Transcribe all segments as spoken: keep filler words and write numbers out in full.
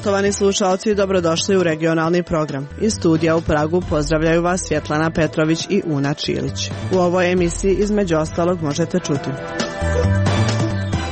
Poštovani slušalci, dobrodošli u regionalni program. Iz studija u Pragu pozdravljaju vas Svjetlana Petrović i Una Čilić. U ovoj emisiji između ostalog možete čuti: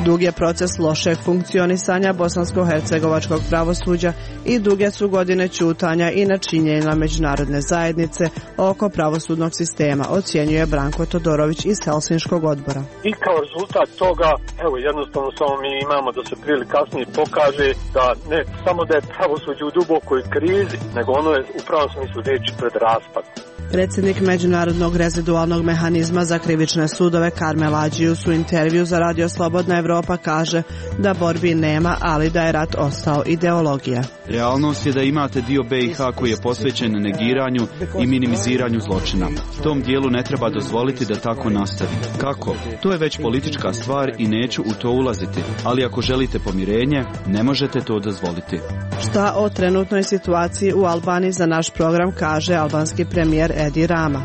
dug je proces lošeg funkcionisanja bosansko-hercegovačkog pravosuđa i duge su godine ćutanja i nečinjenja međunarodne zajednice oko pravosudnog sistema, ocjenjuje Branko Todorović iz Helsinškog odbora. I kao rezultat toga, evo jednostavno samo mi imamo da se prije ili kasnije pokaže da ne samo da je pravosuđe u dubokoj krizi, nego ono je u pravom smislu riječi pred raspadom. Predsjednik Međunarodnog rezidualnog mehanizma za krivične sudove Karmel Adžius u intervju za Radio Slobodna Evropa kaže da borbi nema, ali da je rat ostao ideologija. Realnost je da imate dio B i H koji je posvećen negiranju i minimiziranju zločina. Tom dijelu ne treba dozvoliti da tako nastavi. Kako? To je već politička stvar i neću u to ulaziti, ali ako želite pomirenje, ne možete to dozvoliti. Šta o trenutnoj situaciji u Albaniji za naš program kaže albanski premijer Edi Rama.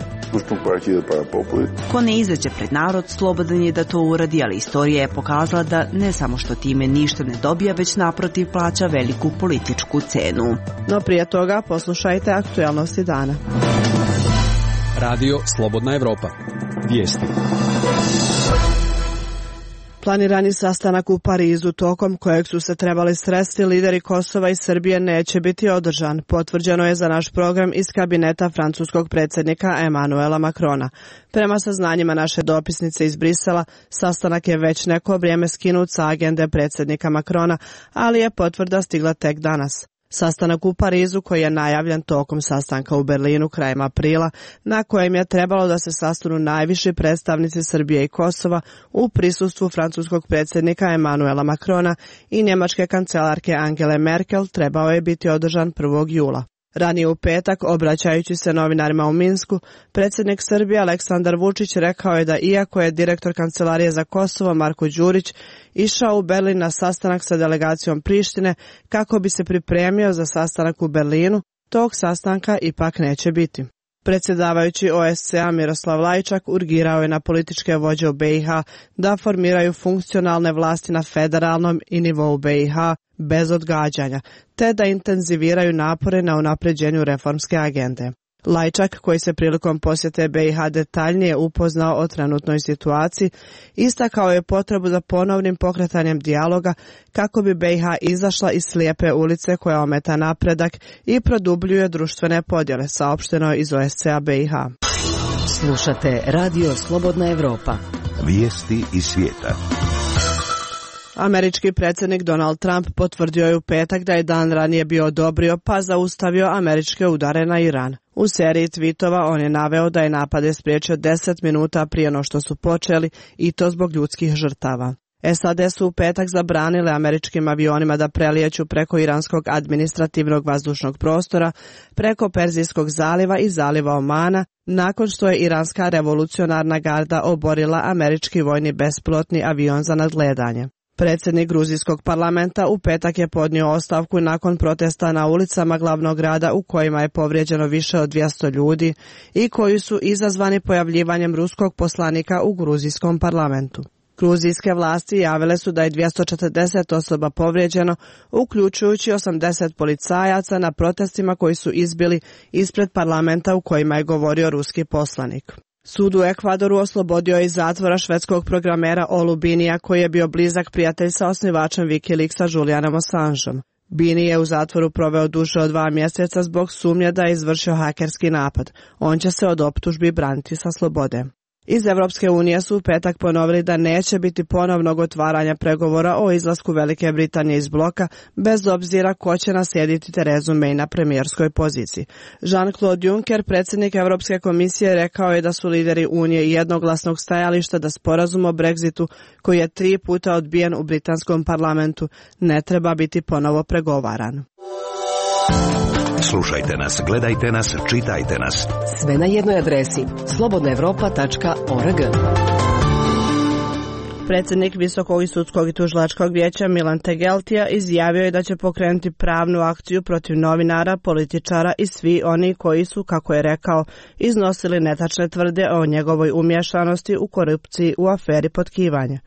Ko ne izađe pred narod, slobodan je da to uradi, ali istorija je pokazala da ne samo što time ništa ne dobija, već naprotiv plaća veliku političku cenu. No prije toga poslušajte aktualnosti dana. Radio Slobodna Evropa. Vijesti. Planirani sastanak u Parizu, tokom kojeg su se trebali sresti lideri Kosova i Srbije, neće biti održan. Potvrđeno je za naš program iz kabineta francuskog predsjednika Emmanuela Macrona. Prema saznanjima naše dopisnice iz Brisela, sastanak je već neko vrijeme skinut sa agende predsjednika Macrona, ali je potvrda stigla tek danas. Sastanak u Parizu, koji je najavljen tokom sastanka u Berlinu krajem aprila, na kojem je trebalo da se sastanu najviši predstavnici Srbije i Kosova u prisustvu francuskog predsjednika Emmanuela Macrona i njemačke kancelarke Angele Merkel, trebao je biti održan prvog jula. Ranije u petak, obraćajući se novinarima u Minsku, predsjednik Srbije Aleksandar Vučić rekao je da iako je direktor Kancelarije za Kosovo Marko Đurić išao u Berlin na sastanak sa delegacijom Prištine kako bi se pripremio za sastanak u Berlinu, tog sastanka ipak neće biti. Predsjedavajući O S C E-a Miroslav Lajčak urgirao je na političke vođe u B i H da formiraju funkcionalne vlasti na federalnom i nivou B i H bez odgađanja, te da intenziviraju napore na unapređenju reformske agende. Lajčak, koji se prilikom posjete B i H detaljnije upoznao o trenutnoj situaciji, istakao je potrebu za ponovnim pokretanjem dijaloga kako bi B i H izašla iz slijepe ulice koja ometa napredak i produbljuje društvene podjele, saopšteno iz O S C E-a B i H. Slušate Radio Slobodna Evropa. Vijesti iz svijeta. Američki predsjednik Donald Trump potvrdio je u petak da je dan ranije bio odobrio pa zaustavio američke udare na Iran. U seriji tweetova on je naveo da je napade spriječio deset minuta prije no što su počeli, i to zbog ljudskih žrtava. S A D su u petak zabranile američkim avionima da prelijeću preko iranskog administrativnog vazdušnog prostora, preko Perzijskog zaliva i zaliva Omana, nakon što je iranska revolucionarna garda oborila američki vojni bespilotni avion za nadgledanje. Predsjednik gruzijskog parlamenta u petak je podnio ostavku nakon protesta na ulicama glavnog grada u kojima je povrijeđeno više od dvjesto ljudi i koji su izazvani pojavljivanjem ruskog poslanika u gruzijskom parlamentu. Gruzijske vlasti javile su da je dvjesto četrdeset osoba povrijeđeno, uključujući osamdeset policajaca na protestima koji su izbili ispred parlamenta u kojima je govorio ruski poslanik. Sud u Ekvadoru oslobodio je iz zatvora švedskog programera Olu Binija, koji je bio blizak prijatelj sa osnivačem Wikileaksa Julianom Assangeom. Bini je u zatvoru proveo duže od dva mjeseca zbog sumnje da je izvršio hakerski napad. On će se od optužbi braniti sa slobode. Iz Evropske unije su u petak ponovili da neće biti ponovnog otvaranja pregovora o izlasku Velike Britanije iz bloka, bez obzira ko će naslijediti Terezu May na premijerskoj poziciji. Jean-Claude Juncker, predsjednik Europske komisije, rekao je da su lideri Unije jednoglasnog stajališta da sporazum o Brexitu, koji je tri puta odbijen u britanskom parlamentu, ne treba biti ponovo pregovaran. Slušajte nas, gledajte nas, čitajte nas. Sve na jednoj adresi slobodna evropa tačka org. Predsjednik Visokog i sudskog i tužilačkog vijeća Milan Tegeltija izjavio je da će pokrenuti pravnu akciju protiv novinara, političara i svi oni koji su, kako je rekao, iznosili netačne tvrde o njegovoj umješanosti u korupciji u aferi potkivanja.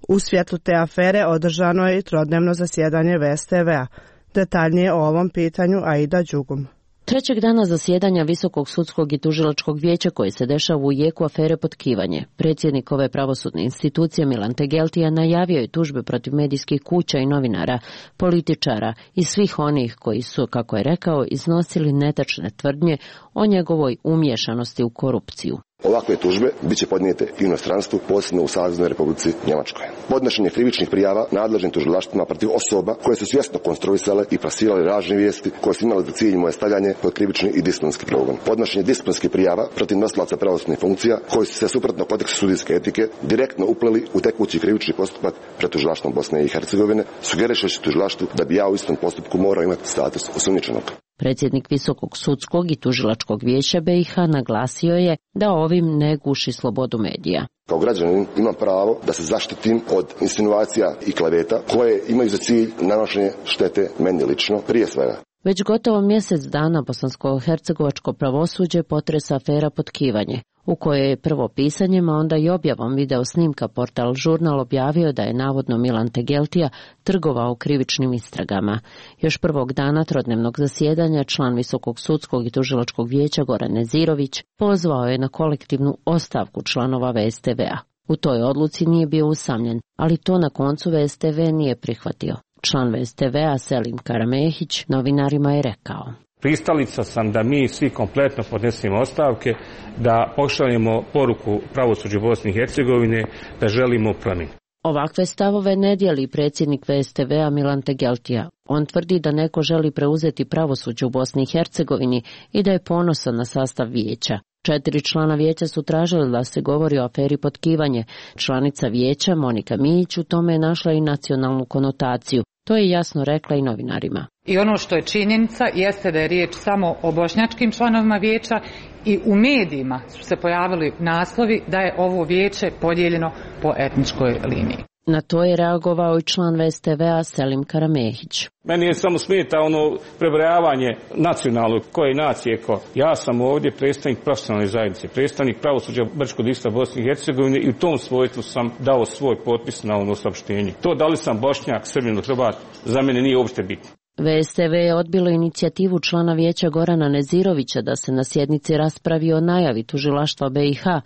U svjetlu te afere održano je i trodnevno zasjedanje V S T V-a. Detaljnije o ovom pitanju Aida Đugum. Trećeg dana zasjedanja Visokog sudskog i tužilačkog vijeća koje se dešava u jeku afere Potkivanje, predsjednik ove pravosudne institucije Milan Tegeltija najavio je tužbe protiv medijskih kuća i novinara, političara i svih onih koji su, kako je rekao, iznosili netačne tvrdnje o njegovoj umiješanosti u korupciju. Ovakve tužbe bit će podnijete i u inostranstvu, posebno u Saveznoj Republici Njemačkoj. Podnošenje krivičnih prijava nadležnim tužilaštvima protiv osoba koje su svjesno konstruisale i plasirale lažne vijesti koje su imale za cilj moje stavljanje pod krivični i disciplinski progon. Podnošenje disciplinskih prijava protiv nosilaca pravosudnih funkcija koji su se suprotno kodeksu sudijske etike direktno upleli u tekući krivični postupak pred tužilaštvom Bosne i Hercegovine, sugerišući tužilaštvu da bi ja u istom postupku morao imati status osumnjičenog. Predsjednik Visokog sudskog i tužilačkog vijeća B i H naglasio je da ovim ne guši slobodu medija. Kao građanin imam pravo da se zaštitim od insinuacija i kleveta koje imaju za cilj nanošenje štete meni lično prije svega. Već gotovo mjesec dana bosansko-hercegovačko pravosuđe potresa afera Potkivanje, u kojoj je prvo pisanjem, a onda i objavom video snimka portal Žurnal objavio da je navodno Milan Tegeltija trgovao krivičnim istragama. Još prvog dana trodnevnog zasjedanja član Visokog sudskog i tužilačkog vijeća Goran Nezirović pozvao je na kolektivnu ostavku članova V S T V-a. U toj odluci nije bio usamljen, ali to na koncu V S T V nije prihvatio. Član V S T V-a Selim Karamehić novinarima je rekao: Pristalica sam da mi svi kompletno podnesemo ostavke, da pošaljemo poruku pravosuđu Bosne i Hercegovine da želimo promjenu. Ovakve stavove ne dijeli predsjednik V S T V-a Milan Tegeltija. On tvrdi da neko želi preuzeti pravosuđe u Bosni i Hercegovini i da je ponosan na sastav vijeća. Četiri člana vijeća su tražili da se govori o aferi Potkivanje. Članica vijeća Monika Mijić u tome je našla i nacionalnu konotaciju. To je jasno rekla i novinarima. I ono što je činjenica jeste da je riječ samo o bošnjačkim članovima vijeća i u medijima su se pojavili naslovi da je ovo vijeće podijeljeno po etničkoj liniji. Na to je reagovao i član V S T V-a Selim Karamehić. Meni je samo smeta ono prebrojavanje nacionalnog koje nacije ko. Ja sam ovdje predstavnik profesionalne zajednice, predstavnik pravosuđa Brčkog distrikta Bosne i Hercegovine i u tom svojstvu sam dao svoj potpis na ono saopštenje. To da li sam Bošnjak, Srbin ili Hrvat, za mene nije uopšte bitno. V S T V je odbilo inicijativu člana vijeća Gorana Nezirovića da se na sjednici raspravi o najavi tužilaštva B i H,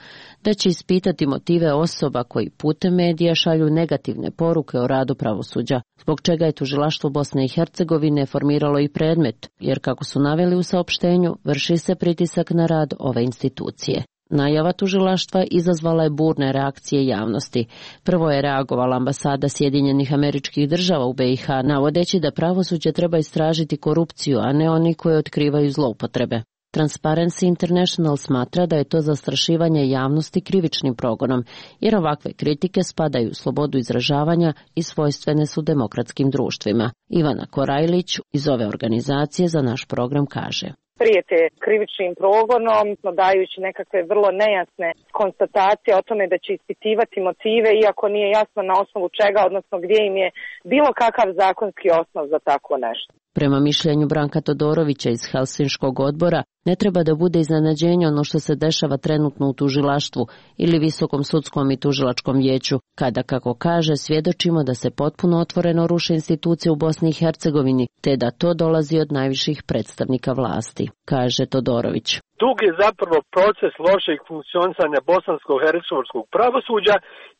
da će ispitati motive osoba koji putem medija šalju negativne poruke o radu pravosuđa, zbog čega je tužilaštvo Bosne i Hercegovine formiralo i predmet, jer kako su naveli u saopštenju, vrši se pritisak na rad ove institucije. Najava tužilaštva izazvala je burne reakcije javnosti. Prvo je reagovala ambasada Sjedinjenih Američkih Država u B i H, navodeći da pravosuđe treba istražiti korupciju, a ne oni koji otkrivaju zloupotrebe. Transparency International smatra da je to zastrašivanje javnosti krivičnim progonom, jer ovakve kritike spadaju u slobodu izražavanja i svojstvene su demokratskim društvima. Ivana Korajlić iz ove organizacije za naš program kaže: prijete krivičnim progonom, dajući nekakve vrlo nejasne konstatacije o tome da će ispitivati motive, iako nije jasno na osnovu čega, odnosno gdje im je bilo kakav zakonski osnov za tako nešto. Prema mišljenju Branka Todorovića iz Helsinškog odbora, ne treba da bude iznenađenje ono što se dešava trenutno u tužilaštvu ili Visokom sudskom i tužilačkom vijeću, kada, kako kaže, svjedočimo da se potpuno otvoreno ruše institucije u Bosni i Hercegovini, te da to dolazi od najviših predstavnika vlasti, kaže Todorović. Dug je zapravo proces lošeg funkcionisanja bosansko-hercegovačkog pravosuđa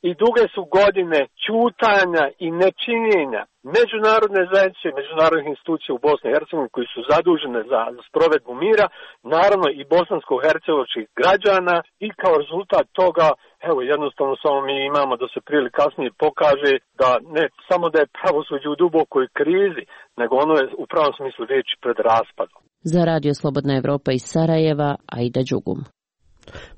i duge su godine ćutanja i nečinjenja međunarodne zajednice, međunarodnih institucija u Bosni i Hercegovini koji su zadužene za sprovedbu mira, naravno i bosansko-hercegovačkih građana, i kao rezultat toga, evo jednostavno samo mi imamo da se prije ili kasnije pokaže da ne samo da je pravosuđe u dubokoj krizi, nego ono je u pravom smislu riječi pred raspadom. Za Radio Slobodna Evropa iz Sarajeva, Aida Đugum.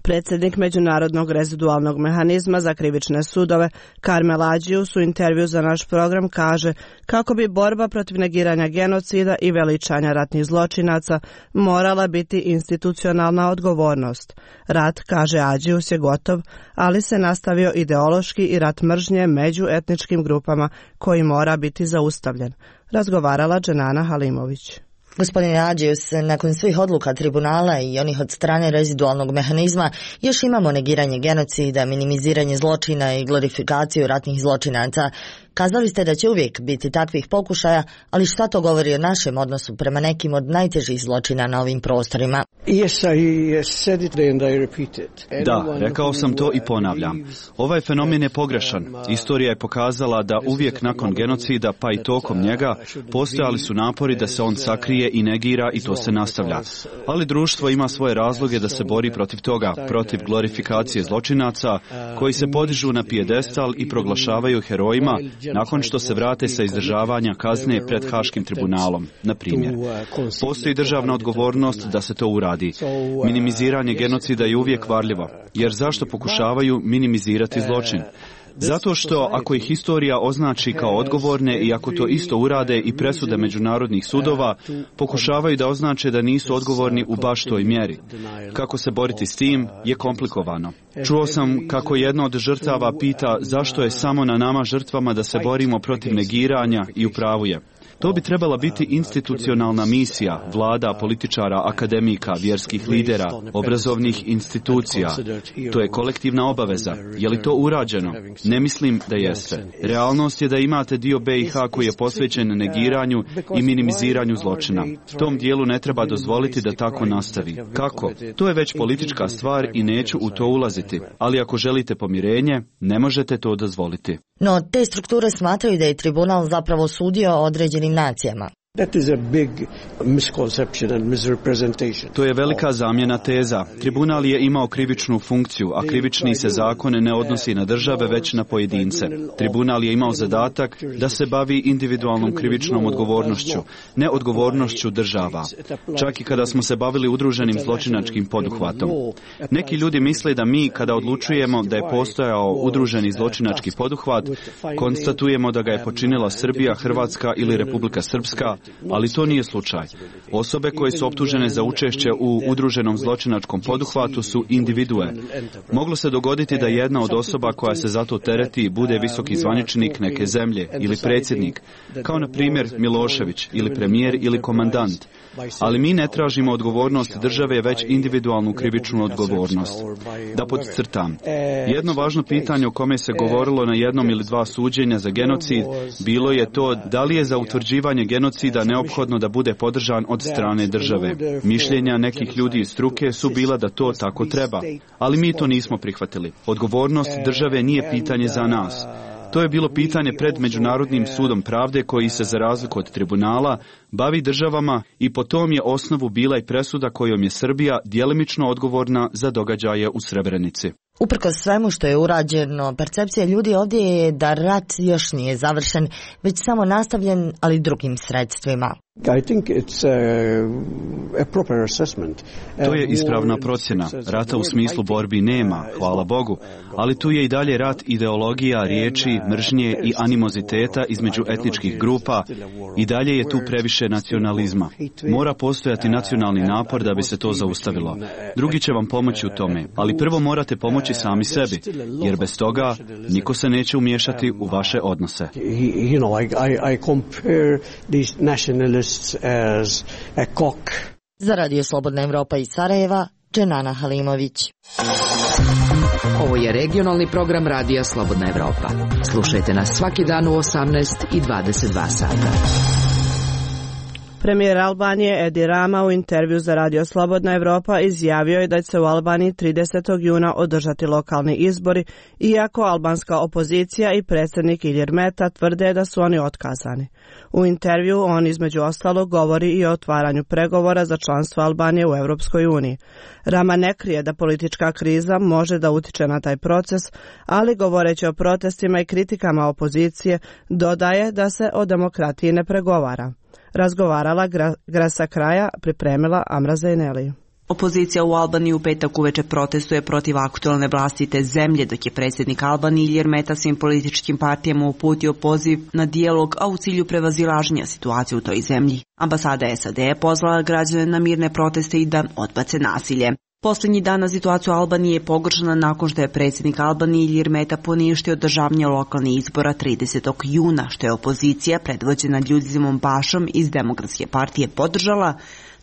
Predsjednik Međunarodnog rezidualnog mehanizma za krivične sudove Karmel Adžius u intervju za naš program kaže kako bi borba protiv negiranja genocida i veličanja ratnih zločinaca morala biti institucionalna odgovornost. Rat, kaže Adžius, je gotov, ali se nastavio ideološki i rat mržnje među etničkim grupama koji mora biti zaustavljen. Razgovarala Dženana Halimović. Gospodine Adžius, nakon svih odluka tribunala i onih od strane rezidualnog mehanizma, još imamo negiranje genocida, minimiziranje zločina i glorifikaciju ratnih zločinaca. Kazali ste da će uvijek biti takvih pokušaja, ali šta to govori o našem odnosu prema nekim od najtežih zločina na ovim prostorima? Da, rekao sam to i ponavljam. Ovaj fenomen je pogrešan. Istorija je pokazala da uvijek nakon genocida, pa i tokom njega, postojali su napori da se on sakrije i negira i to se nastavlja. Ali društvo ima svoje razloge da se bori protiv toga, protiv glorifikacije zločinaca koji se podižu na pijedestal i proglašavaju herojima nakon što se vrate sa izdržavanja kazne pred Haškim tribunalom, na primjer. Postoji državna odgovornost da se to uradi. Minimiziranje genocida je uvijek varljivo, jer zašto pokušavaju minimizirati zločin? Zato što ako ih historija označi kao odgovorne i ako to isto urade i presude međunarodnih sudova, pokušavaju da označe da nisu odgovorni u baš toj mjeri. Kako se boriti s tim je komplikovano. Čuo sam kako jedna od žrtava pita zašto je samo na nama žrtvama da se borimo protiv negiranja i u pravu je. To bi trebala biti institucionalna misija vlada, političara, akademika, vjerskih lidera, obrazovnih institucija. To je kolektivna obaveza. Je li to urađeno? Ne mislim da jeste. Realnost je da imate dio B i H koji je posvećen negiranju i minimiziranju zločina. Tom dijelu ne treba dozvoliti da tako nastavi. Kako? To je već politička stvar i neću u to ulaziti. Ali ako želite pomirenje, ne možete to dozvoliti. No, te strukture smatraju da je tribunal zapravo sudio određenim nacijama. To je velika zamjena teza. Tribunal je imao krivičnu funkciju, a krivični se zakon ne odnosi na države, već na pojedince. Tribunal je imao zadatak da se bavi individualnom krivičnom odgovornošću, ne odgovornošću država. Čak i kada smo se bavili udruženim zločinačkim poduhvatom. Neki ljudi misle da mi, kada odlučujemo da je postojao udruženi zločinački poduhvat, konstatujemo da ga je počinila Srbija, Hrvatska ili Republika Srpska, ali to nije slučaj. Osobe koje su optužene za učešće u udruženom zločinačkom poduhvatu su individue. Moglo se dogoditi da jedna od osoba koja se za to tereti bude visoki zvaničnik neke zemlje ili predsjednik, kao na primjer Milošević ili premijer ili komandant. Ali mi ne tražimo odgovornost države, već individualnu krivičnu odgovornost. Da podcrtam, jedno važno pitanje o kome se govorilo na jednom ili dva suđenja za genocid bilo je to da li je za utvrđivanje genocida neophodno da bude podržan od strane države. Mišljenja nekih ljudi iz struke su bila da to tako treba, ali mi to nismo prihvatili. Odgovornost države nije pitanje za nas. To je bilo pitanje pred Međunarodnim sudom pravde koji se, za razliku od tribunala, bavi državama i po tom je osnovu bila i presuda kojom je Srbija djelimično odgovorna za događaje u Srebrenici. Uprkos svemu što je urađeno, percepcija ljudi ovdje je da rat još nije završen, već samo nastavljen, ali drugim sredstvima. To je ispravna procjena. Rata u smislu borbi nema, hvala Bogu, ali tu je i dalje rat ideologija, riječi, mržnje i animoziteta između etničkih grupa i dalje je tu previše nacionalizma. Mora postojati nacionalni napor da bi se to zaustavilo. Drugi će vam pomoći u tome, ali prvo morate pomoći sami sebi, jer bez toga niko se neće umiješati u vaše odnose. Za Radio Slobodna Evropa iz Sarajeva, Dženana Halimović. Ovo je regionalni program Radija Slobodna Evropa. Slušajte nas svaki dan u osamnaest i dvadeset dva sata. Premijer Albanije Edi Rama u intervju za Radio Slobodna Evropa izjavio je da će se u Albaniji tridesetog juna održati lokalni izbori, iako albanska opozicija i predsjednik Ilir Meta tvrde da su oni otkazani. U intervju on između ostalog govori i o otvaranju pregovora za članstvo Albanije u Europskoj uniji. Rama ne krije da politička kriza može da utiče na taj proces, ali govoreći o protestima i kritikama opozicije, dodaje da se o demokratiji ne pregovara. Razgovarala gra, Grasa Kraja, pripremila Amra Zajneli. Opozicija u Albaniji u petak uveče protestuje protiv aktualne vlasti te zemlje, dok je predsjednik Albanije Ilir Meta svim političkim partijama uputio poziv na dijalog, a u cilju prevazilaženja situacije u toj zemlji. Ambasada S A D je pozvala građane na mirne proteste i da odbace nasilje. Posljednji dan na situaciju Albanije je pogoršana nakon što je predsjednik Albanije Ilir Meta poništio održavanje lokalnih izbora tridesetog juna, što je opozicija predvođena Ljudizimom Bašom iz Demokratske partije podržala,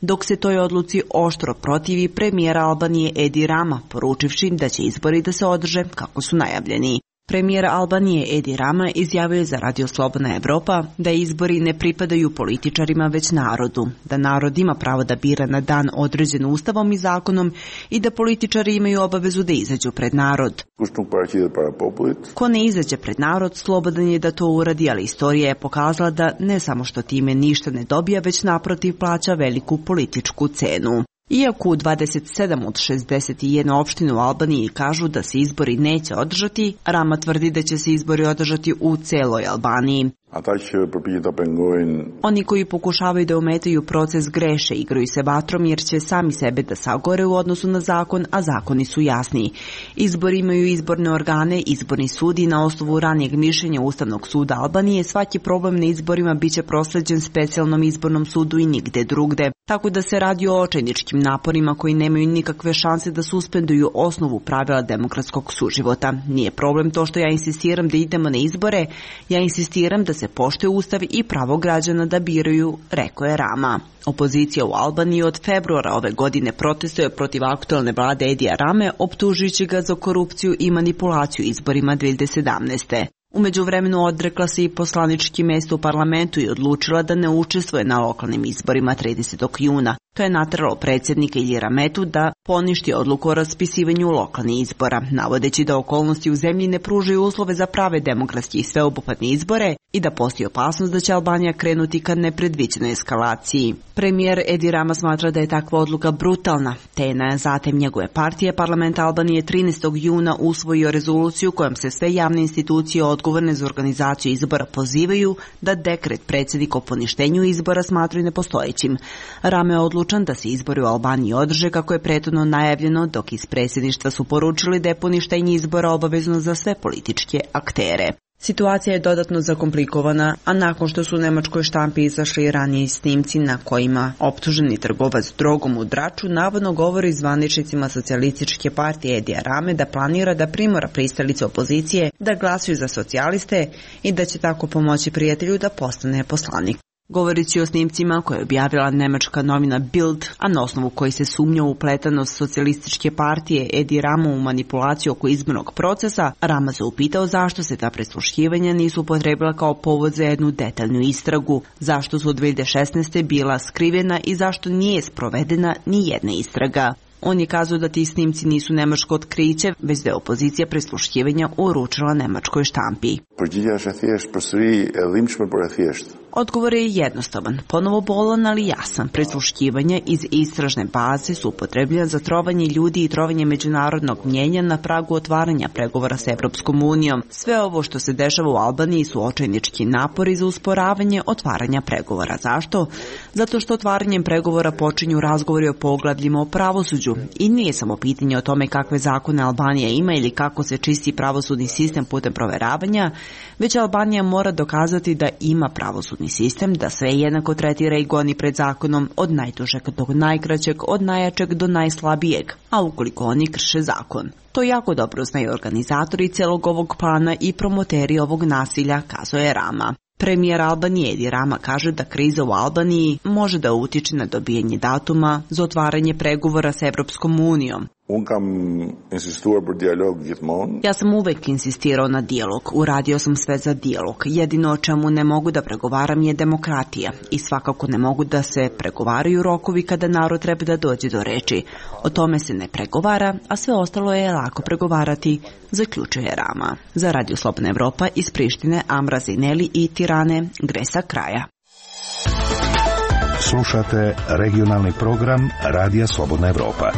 dok se toj odluci oštro protivi premijera Albanije Edi Rama, poručivši da će izbori da se održe kako su najavljeni. Premijer Albanije Edi Rama izjavio je za Radio Slobodna Evropa da izbori ne pripadaju političarima već narodu, da narod ima pravo da bira na dan određen ustavom i zakonom i da političari imaju obavezu da izađu pred narod. Ko ne izađe pred narod, slobodan je da to uradi, ali istorija je pokazala da ne samo što time ništa ne dobija, već naprotiv plaća veliku političku cenu. Iako u dvadeset sedam od šezdeset jedne opštine u Albaniji kažu da se izbori neće održati, Rama tvrdi da će se izbori održati u celoj Albaniji. Oni koji pokušavaju da ometaju proces greše, igraju se vatrom jer će sami sebe da sagore u odnosu na zakon, a zakoni su jasni. Izbori imaju izborne organe, izborni sud i na osnovu ranijeg mišljenja Ustavnog suda Albanije svaki problem na izborima biće prosleđen specijalnom izbornom sudu i nigde drugde. Tako da se radi o očajničkim naporima koji nemaju nikakve šanse da suspenduju osnovu pravila demokratskog suživota. Nije problem to što ja insistiram da idemo na izbore, ja insistiram da se poštuje Ustav i pravo građana da biraju, rekao je Rama. Opozicija u Albaniji od februara ove godine protestuje protiv aktualne vlade Edija Rame, optužujući ga za korupciju i manipulaciju izborima dve hiljade sedamnaeste. U međuvremenu odrekla se i poslanički mesto u parlamentu i odlučila da ne učestvuje na lokalnim izborima tridesetog juna. To je nateralo predsjednika Iljira Metu da poništi odluku o raspisivanju lokalnih izbora, navodeći da okolnosti u zemlji ne pružaju uslove za prave demokratske i sveobuhvatne izbore i da postoji opasnost da će Albanija krenuti ka nepredviđenoj eskalaciji. Premijer Edi Rama smatra da je takva odluka brutalna, te je na zatem njegove partije parlament Albanije trinaestog juna usvojio rezoluciju kojom se sve javne institucije odgovorne za organizaciju izbora pozivaju da dekret predsjednika o poništenju izbora smatraju nepostojećim. Rama je odlučio da se izbori u Albaniji održe kako je prethodno najavljeno, dok iz predsjedništva su poručili da je poništenje izbora obavezno za sve političke aktere. Situacija je dodatno zakomplikovana, a nakon što su u nemačkoj štampi izašli ranije snimci na kojima optuženi trgovac drogom u Draču navodno govori zvaničnicima socijalističke partije Edija Rame da planira da primora pristalice opozicije da glasuju za socijaliste i da će tako pomoći prijatelju da postane poslanik. Govoreći o snimcima koje je objavila nemačka novina Bild, a na osnovu koji se sumnja u upletanost socijalističke partije Edi Ramu u manipulaciju oko izbornog procesa, Rama se upitao zašto se ta prisluškivanja nisu upotrebila kao povod za jednu detaljnu istragu, zašto su od dve hiljade šesnaeste bila skrivena i zašto nije sprovedena ni jedna istraga. On je kazao da ti snimci nisu nemačko otkriće, već da je opozicija prisluškivanja uručila nemačkoj štampi. Odgovor je jednostavan, ponovo bolan, ali jasan. Prisluškivanja iz istražne baze su upotrebljena za trovanje ljudi i trovanje međunarodnog mnjenja na pragu otvaranja pregovora s Evropskom unijom. Sve ovo što se dešava u Albaniji su očajnički napori za usporavanje otvaranja pregovora. Zašto? Zato što otvaranjem pregovora počinju razgovori o poglavljima o pravosuđu i nije samo pitanje o tome kakve zakone Albanija ima ili kako se čisti pravosudni sistem putem proveravanja, već Albanija mora dokazati da ima pravosudni sistem, da sve jednako tretira i goni pred zakonom od najdužeg do najkraćeg, od najjačeg do najslabijeg, a ukoliko oni krše zakon. To jako dobro znaju organizatori celog ovog plana i promoteri ovog nasilja, kazao je Rama. Premijer Albanije Edi Rama kaže da kriza u Albaniji može da utiče na dobijanje datuma za otvaranje pregovora s Evropskom unijom. Ja sam uvek insistirao na dijalog, uradio sam sve za dijalog. Jedino o čemu ne mogu da pregovaram je demokratija i svakako ne mogu da se pregovaraju rokovi kada narod treba da dođe do reči. O tome se ne pregovara, a sve ostalo je lako pregovarati, zaključuje Rama. Za Radio Slobodna Evropa iz Prištine, Amra Zineli i Tirane, Gresa Kraja. Slušate regionalni program Radija Slobodna Evropa.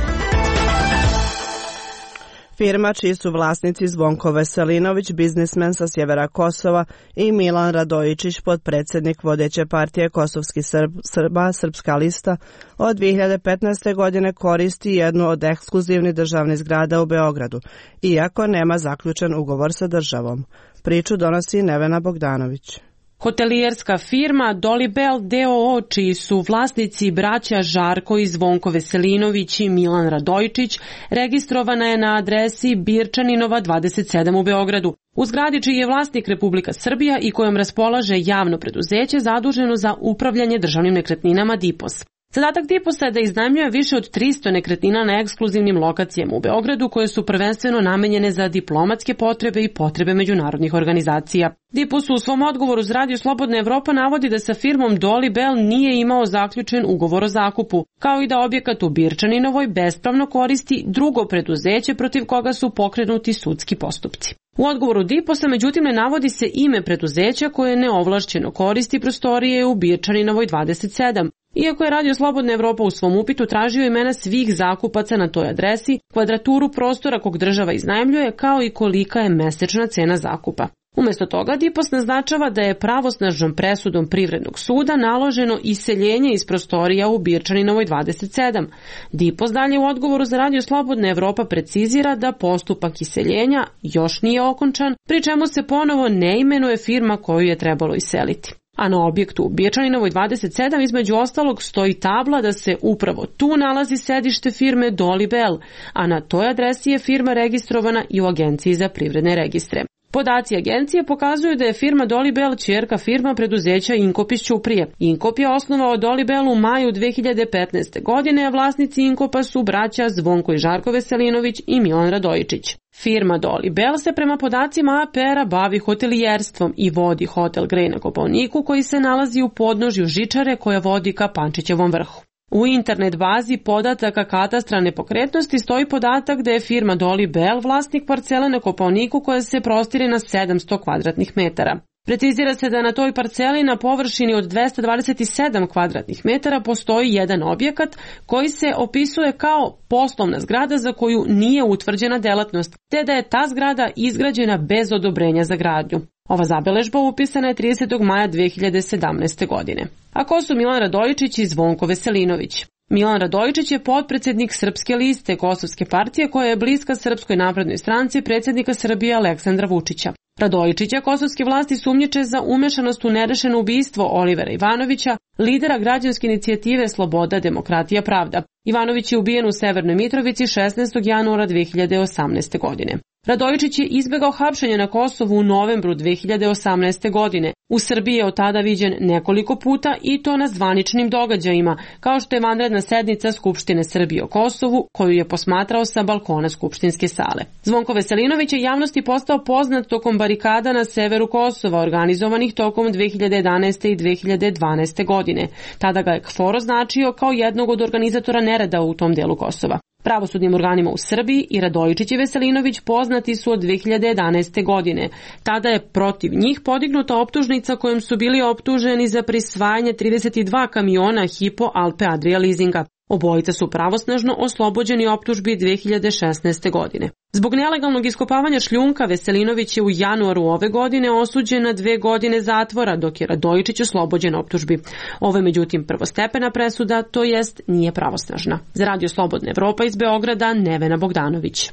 Firma čiji su vlasnici Zvonko Veselinović, biznismen sa sjevera Kosova, i Milan Radojičić, potpredsjednik vodeće partije Kosovski Srb, Srba, Srpska lista, od dve hiljade petnaeste. godine koristi jednu od ekskluzivnih državnih zgrada u Beogradu, iako nema zaključen ugovor sa državom. Priču donosi Nevena Bogdanović. Hotelijerska firma Dolibel d o o, čiji su vlasnici braća Žarko i Zvonko Veselinović i Milan Radojičić, registrovana je na adresi Birčaninova dvadeset sedam u Beogradu. U zgradi čiji je vlasnik Republika Srbija i kojom raspolaže javno preduzeće zaduženo za upravljanje državnim nekretninama D I P O S. Zadatak Diposa je da iznajmljuje više od tristo nekretnina na ekskluzivnim lokacijama u Beogradu koje su prvenstveno namenjene za diplomatske potrebe i potrebe međunarodnih organizacija. Dipos u svom odgovoru za Radio Slobodna Evropa navodi da sa firmom Dolly Bell nije imao zaključen ugovor o zakupu, kao i da objekat u Birčaninovoj bespravno koristi drugo preduzeće protiv koga su pokrenuti sudski postupci. U odgovoru Diposa međutim ne navodi se ime preduzeća koje neovlašćeno koristi prostorije u Birčaninovoj dvadeset sedam. Iako je Radio Slobodna Evropa u svom upitu tražio imena svih zakupaca na toj adresi, kvadraturu prostora kog država iznajmljuje, kao i kolika je mesečna cena zakupa. Umjesto toga Dipos naznačava da je pravosnažnom presudom Privrednog suda naloženo iseljenje iz prostorija u Birčaninovoj dvadeset sedam. Dipos dalje u odgovoru za Radio Slobodna Evropa precizira da postupak iseljenja još nije okončan, pri čemu se ponovo ne imenuje firma koju je trebalo iseliti. A na objektu u Birčaninovoj dvadeset sedam između ostalog stoji tabla da se upravo tu nalazi sedište firme Dolly Bell, a na toj adresi je firma registrovana i u Agenciji za privredne registre. Podaci agencije pokazuju da je firma Dolly Bell ćerka firma preduzeća Inkop iz Ćuprije. Inkop je osnovao Dolly Bell u maju dve hiljade petnaeste. godine, a vlasnici Inkopa su braća Zvonko i Žarko Veselinović i Milan Radojičić. Firma Dolly Bell se prema podacima A P R-a bavi hotelijerstvom i vodi hotel Grej na Kopaoniku koji se nalazi u podnožju žičare koja vodi ka Pančićevom vrhu. U internet bazi podataka katastra nepokretnosti stoji podatak da je firma Dolly Bell vlasnik parcele na Kopaoniku koja se prostire na sedamsto kvadratnih metara. Precizira se da na toj parceli na površini od dvesta dvadeset sedam kvadratnih metara postoji jedan objekat koji se opisuje kao poslovna zgrada za koju nije utvrđena delatnost, te da je ta zgrada izgrađena bez odobrenja za gradnju. Ova zabeležba upisana je tridesetog maja dve hiljade sedamnaeste. godine. A ko su Milan Radojičić i Zvonko Veselinović? Milan Radojičić je potpredsjednik Srpske liste Kosovske partije koja je bliska Srpskoj naprednoj stranci predsjednika Srbije Aleksandra Vučića. Radojičića kosovske vlasti sumnjiče za umešanost u nerešeno ubistvo Olivera Ivanovića, lidera građanske inicijative Sloboda, demokratija, pravda. Ivanović je ubijen u Severnoj Mitrovici šesnaestog januara dve hiljade osamnaeste. godine. Radojičić je izbegao hapšenje na Kosovu u novembru dve hiljade osamnaeste. godine. U Srbiji je od tada viđen nekoliko puta i to na zvaničnim događajima, kao što je vanredna sednica Skupštine Srbije o Kosovu, koju je posmatrao sa balkona Skupštinske sale. Zvonko Veselinović je javnosti postao poznat tokom barikada na severu Kosova, organizovanih tokom dve hiljade jedanaeste. i dve hiljade dvanaeste. godine. Tada ga je KFOR označio kao jednog od organizatora nereda u tom delu Kosova. Pravosudnim organima u Srbiji i Radojičić i Veselinović poznati su od dve hiljade jedanaeste. godine. Tada je protiv njih podignuta optužnica kojom su bili optuženi za prisvajanje trideset dva kamiona Hypo Alpe Adria leasinga. Obojica su pravosnažno oslobođeni optužbi dve hiljade šesnaeste. godine. Zbog nelegalnog iskopavanja šljunka Veselinović je u januaru ove godine osuđen na dve godine zatvora, dok je Radojičić oslobođen optužbi. Ovo je međutim prvostepena presuda, to jest nije pravosnažna. Za Radio Slobodna Evropa iz Beograda, Nevena Bogdanović.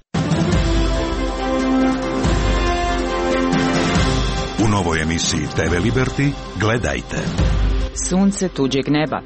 U novoj emisiji T V Liberty gledajte. Sunce tuđeg neba.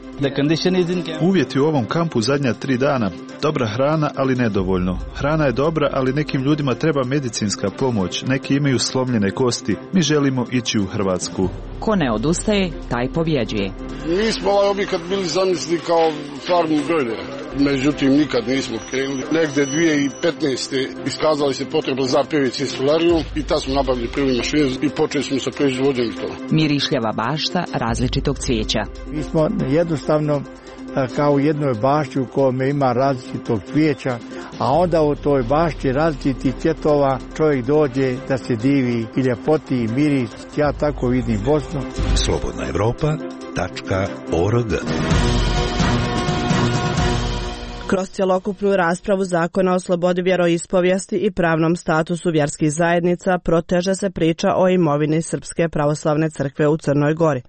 Uvjeti u ovom kampu zadnja tri dana. Dobra hrana, ali nedovoljno. Hrana je dobra, ali nekim ljudima treba medicinska pomoć. Neki imaju slomljene kosti. Mi želimo ići u Hrvatsku. Ko ne odustaje, taj pobjeđuje. Mi smo ovaj objekat bili zamislili kao farmu brojlera. Međutim, nikad nismo krenuli. Negde dvije hiljade petnaeste. iskazali se potreba za P V C solarijom i tad smo nabavili prvi mašinu i počeli smo sa proizvodnjom toga. Mirišljava bašta različitog cvijeća. Mi smo jednostavno kao u jednoj bašti u kojoj ima različitog cvijeća, a onda u toj bašti različitih cvjetova čovjek dođe da se divi i ljepoti i miris. Ja tako vidim Bosnu. Slobodna Evropa tačka org. Kroz cjelokupnu raspravu Zakona o slobodi vjeroispovijesti i pravnom statusu vjerskih zajednica proteže se priča o imovini Srpske pravoslavne crkve u Crnoj Gori.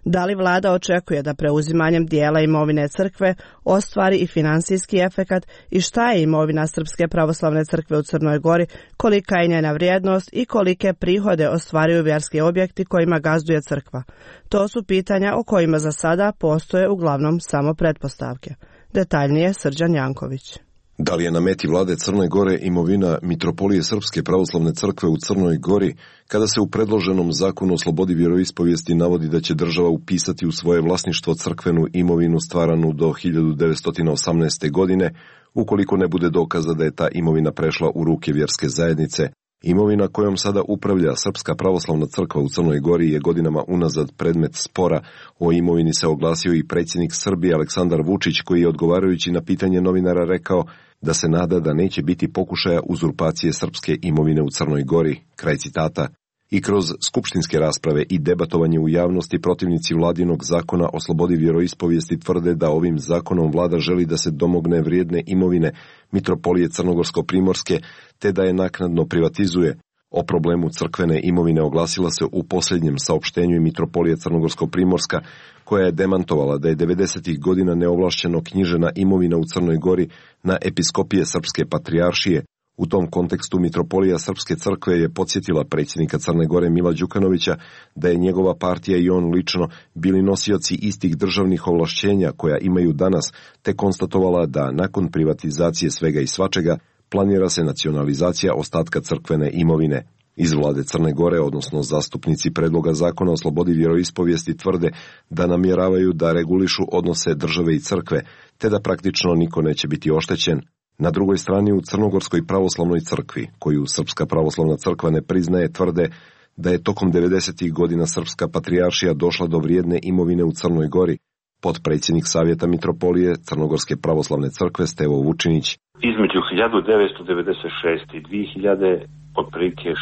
Da li vlada očekuje da preuzimanjem dijela imovine crkve ostvari i finansijski efekat i šta je imovina Srpske pravoslavne crkve u Crnoj Gori, kolika je njena vrijednost i kolike prihode ostvaruju vjerski objekti kojima gazduje crkva? To su pitanja o kojima za sada postoje uglavnom samo pretpostavke. Detaljnije Srđan Janković. Da li je na meti vlade Crne Gore imovina Mitropolije Srpske pravoslavne crkve u Crnoj Gori, kada se u predloženom zakonu o slobodi vjeroispovijesti navodi da će država upisati u svoje vlasništvo crkvenu imovinu stvaranu do hiljadu devetsto osamnaeste. godine, ukoliko ne bude dokaza da je ta imovina prešla u ruke vjerske zajednice? Imovina kojom sada upravlja Srpska pravoslavna crkva u Crnoj Gori je godinama unazad predmet spora. O imovini se oglasio i predsjednik Srbije Aleksandar Vučić, koji je odgovarajući na pitanje novinara rekao da se nada da neće biti pokušaja uzurpacije srpske imovine u Crnoj Gori. Kraj citata. I kroz skupštinske rasprave i debatovanje u javnosti protivnici vladinog zakona o slobodi vjeroispovijesti tvrde da ovim zakonom vlada želi da se domogne vrijedne imovine Mitropolije Crnogorsko-Primorske, te da je naknadno privatizuje. O problemu crkvene imovine oglasila se u posljednjem saopštenju i Mitropolije Crnogorsko-Primorska, koja je demantovala da je devedesetih godina neovlašćeno knjižena imovina u Crnoj Gori na episkopije Srpske patrijaršije. U tom kontekstu Mitropolija Srpske crkve je podsjetila predsjednika Crne Gore Mila Đukanovića da je njegova partija i on lično bili nosioci istih državnih ovlašćenja koja imaju danas, te konstatovala da nakon privatizacije svega i svačega planira se nacionalizacija ostatka crkvene imovine. Iz vlade Crne Gore, odnosno zastupnici predloga zakona o slobodi vjeroispovijesti, tvrde da namjeravaju da regulišu odnose države i crkve, te da praktično niko neće biti oštećen. Na drugoj strani u Crnogorskoj pravoslavnoj crkvi, koju Srpska pravoslavna crkva ne priznaje, tvrde da je tokom devedesetih godina Srpska patrijaršija došla do vrijedne imovine u Crnoj Gori. Potpredsjednik Savjeta Mitropolije Crnogorske pravoslavne crkve Stevo Vučinić. Između hiljadu devetsto devedeset šeste. i dvije hiljade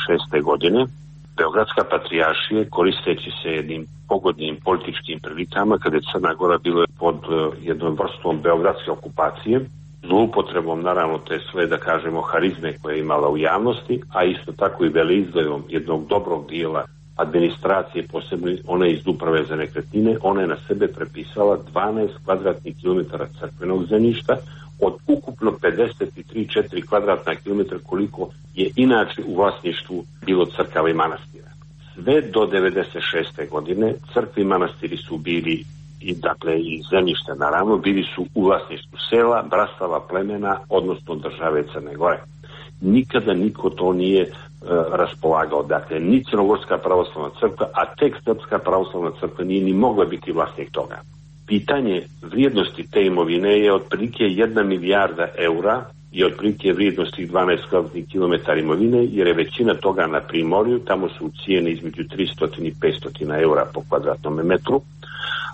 šeste. godine Beogradska patrijaršija, koristeći se jednim pogodnim političkim prilikama, kada je Crna Gora bila pod jednom vrstom beogradske okupacije, zloupotrebom naravno te sve, da kažemo, harizme koje je imala u javnosti, a isto tako i veleizdajom jednog dobrog dijela administracije, posebno one iz uprave za nekretnine, ona je na sebe prepisala dvanaest kvadratnih kilometara crkvenog zemljišta od ukupno pedeset tri zarez četiri kvadratna kilometra koliko je inače u vlasništvu bilo crkava i manastira. Sve do devedeset šeste. godine crkve i manastiri su bili, i dakle i zemljište naravno, bili su u vlasništvu sela, brastava, plemena, odnosno države Crne Gore. Nikada niko to nije e, raspolagao. Dakle, ni Crnogorska pravoslavna crkva, a tek Srpska pravoslavna crkva nije ni mogla biti vlasnik toga. Pitanje vrijednosti te imovine je otprilike jedna milijarda eura i otprilike vrijednosti dvanaest kvadratnih kilometara imovine, jer je većina toga na Primorju, tamo su cijene između tristo i petsto eura po kvadratnom metru.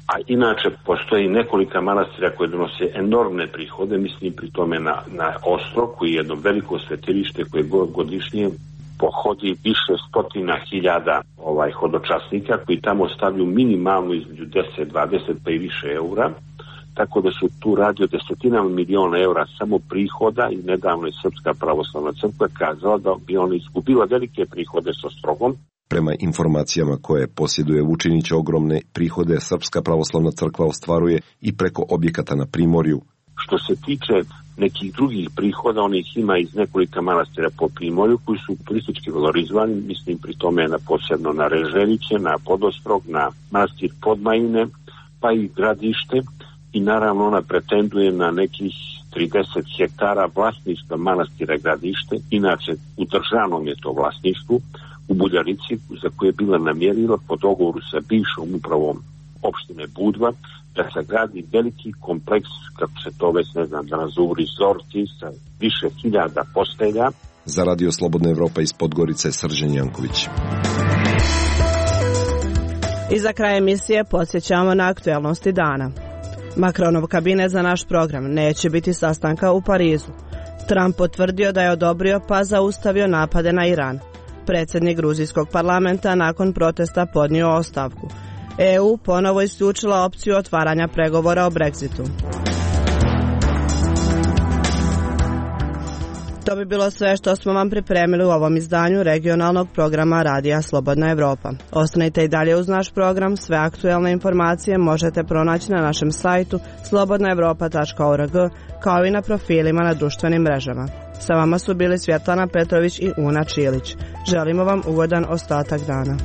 A inače postoji nekolika manastira koje donose enormne prihode, mislim pri tome na, na Ostrog, koji je jedno veliko svetilište koje godišnje pohodi više stotina hiljada ovaj, hodočasnika koji tamo stavljaju minimalno između deset, dvadeset pa i više eura, tako da su tu radi o desetinama miliona eura samo prihoda i nedavno je Srpska pravoslavna crkva kazala da bi ona izgubila velike prihode s Ostrogom. Prema informacijama koje posjeduje Vučinić, ogromne prihode Srpska pravoslavna crkva ostvaruje i preko objekata na Primorju. Što se tiče nekih drugih prihoda, onih ima iz nekolika manastira po Primorju koji su turistički valorizovani, mislim pri tome na posebno na Reželjiće, na Podostrog, na manastir Podmajine, pa i Gradište, i naravno ona pretenduje na nekih trideset hektara vlasništva manastira Gradište, inače u državnom je to vlasništvu, u Buljarici, za koje je bila namjerila po dogovoru sa bivšom upravom opštine Budva da se gradi veliki kompleks, kako se to već ne znam da nazovu, rezorti sa više hiljada postelja. Za Radio Slobodna Evropa iz Podgorice, Srđan Janković. I za kraj emisije podsjećamo na aktuelnosti dana. Macronov kabinet za naš program neće biti sastanka u Parizu. Trump potvrdio da je odobrio pa zaustavio napade na Iran. Predsjednik gruzijskog parlamenta nakon protesta podnio ostavku. E U ponovo isključila opciju otvaranja pregovora o Brexitu. To bi bilo sve što smo vam pripremili u ovom izdanju regionalnog programa Radija Slobodna Evropa. Ostanite i dalje uz naš program, sve aktuelne informacije možete pronaći na našem sajtu slobodna evropa tačka org, kao i na profilima na društvenim mrežama. Sa vama su bili Svjetlana Petrović i Una Čilić. Želimo vam ugodan ostatak dana.